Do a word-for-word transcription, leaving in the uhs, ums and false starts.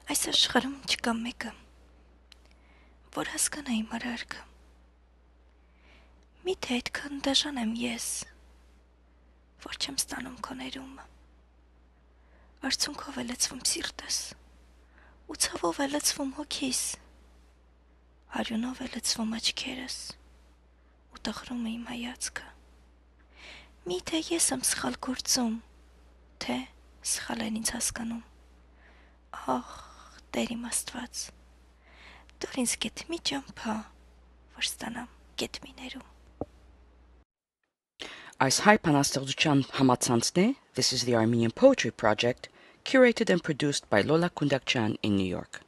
Այս աշխարհում չկա մեկը, որ հասկանա իմ արարքը։ Միթե այդքան դաժան եմ ես, որ չեմ ստանում քո ներումը։ Արցունքով է լցվում սիրտս, ու ցավով է լցվում հոգիս, արյունով է լցվում աչքերս, ու տխրում է իմ հայացքը։ Միթե ես եմ սխալ գործում, թե սխալ են ինձ հասկանում։ Ահ, Տեր իմ Աստված, դուր ինձ գեթ մի ճամփա, որ ստանամ գեթ մի ներում։ Այս հայ բանաստեղծության համացանցն է This is the Armenian Poetry Project, curated and produced by Lola Kundakyan in New York.